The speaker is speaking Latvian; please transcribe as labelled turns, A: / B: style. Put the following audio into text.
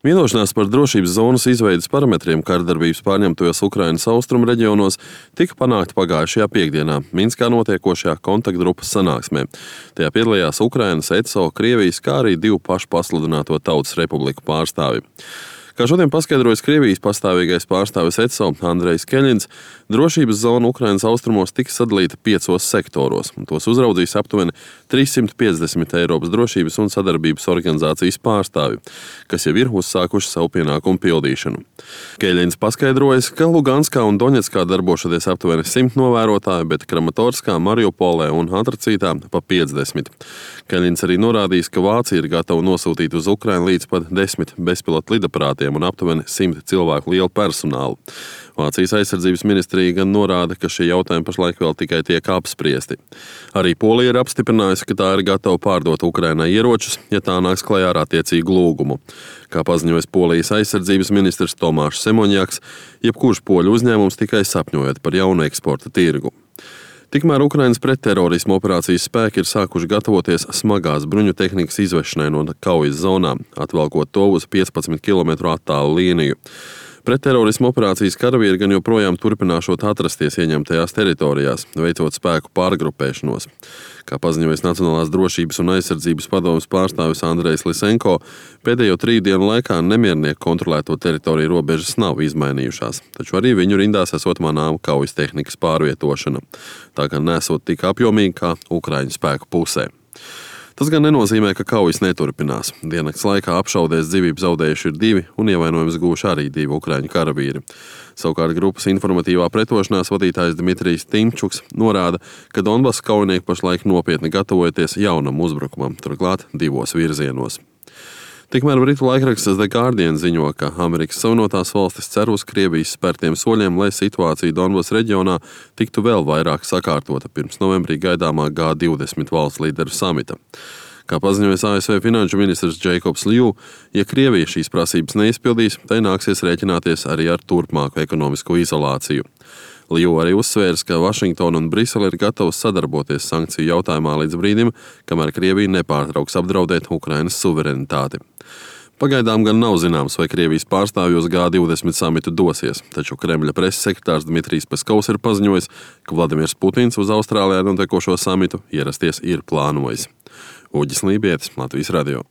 A: Vienošanās par drošības zonas izveides parametriem kārdarbības pārņemtajos Ukrainas austrumu reģionos tika panākta pagājušajā piekdienā Minskā notiekošajā kontaktgrupas sanāksmē. Tajā piedalījās Ukrainas, ECO, Krievijas, kā arī divu pašu pasludināto Tautas Republiku pārstāvji. Kā šodien paskaidrojas Krievijas pastāvīgais pārstāvis ECO Andrejs Keļins, drošības zona Ukrainas austrumos tiks sadalīta 5 sektoros, un tos uzraudzīs aptuveni 350 Eiropas drošības un sadarbības organizācijas pārstāvji, kas jau ir uzsākuši savu pienākumu pildīšanu. Keļins paskaidrojas, ka Luganskā un Doņetskā darbošoties aptuveni 100 novērotāji, bet Kramatorskā, Mariupolē un Antracītā pa 50. Keļins arī norādījis, ka Vācija ir gatava nosūtīt uz Ukrainu līdz pat 10 bezpilotu lidaparātiem un aptuveni 100 cilvēku lielu personālu. Vācijas aizsardzības ministrija gan norāda, ka šie jautājumi pašlaik vēl tikai tiek apspriesti. Arī Polija ir apstiprinājusi, ka tā ir gatava pārdot Ukrainai ieročus, ja tā nāks klajā ar attiecīgu lūgumu. Kā paziņojas Polijas aizsardzības ministrs Tomašs Semoņjaks, jebkurš poļu uzņēmums tikai sapņojot par jaunu eksporta tirgu. Tikmēr Ukrainas pretterorisma operācijas spēki ir sākuši gatavoties smagās bruņu tehnikas izvešanai no kaujas zonām, atvelkot to uz 15 km attālu līniju. Pretterorisma operācijas karavīri gan joprojām turpināšot atrasties ieņemtajās teritorijās, veicot spēku pārgrupēšanos. Kā paziņojas Nacionālās drošības un aizsardzības padomes pārstāvis Andrejs Lisenko, pēdējo 3 dienu laikā nemiernieku kontrolēto teritoriju robežas nav izmainījušās, taču arī viņu rindās esot manām kaujas tehnikas pārvietošana. Tā gan nesot tik apjomīgi kā Ukraiņu spēku pusē. Tas gan nenozīmē, ka kaujas neturpinās. Diennakts laikā apšaudēs dzīvību zaudējuši ir 2 un ievainojumus guvuši arī 2 ukraiņu karavīri. Savukārt grupas informatīvā pretošanās vadītājs Dmitrijs Timčuks norāda, ka Donbasa kaujinieki pašlaik nopietni gatavojoties jaunam uzbrukumam, turklāt 2 virzienos. Tikmēr britu laikraksts The Guardian ziņo, ka Amerikas Savienotās valstis cer uz Krievijas spērtiem soļiem, lai situācija Donbasa reģionā tiktu vēl vairāk sakārtota pirms novembrī gaidāmā G20 valsts līderu samita. Kā paziņojas ASV finanšu ministrs Jacobs Liu, ja Krievija šīs prasības neizpildīs, tai nāksies rēķināties arī ar turpmāku ekonomisko izolāciju. Liu arī uzsvērs, ka Vašingtona un Brisele ir gatavas sadarboties sankciju jautājumā līdz brīdim, kamēr Krievija nepārtrauks apdraudēt Ukrainas suverenitāti. Pagaidām gan nav zināms, vai Krievijas pārstāvji uz G20 samitu dosies, taču Kremļa preses sekretārs Dmitrijs Peskovs ir paziņojis, ka Vladimirs Putins uz Austrālijā notiekošo samitu ierasties ir plānojis. Uģis Lībietis, Latvijas radio.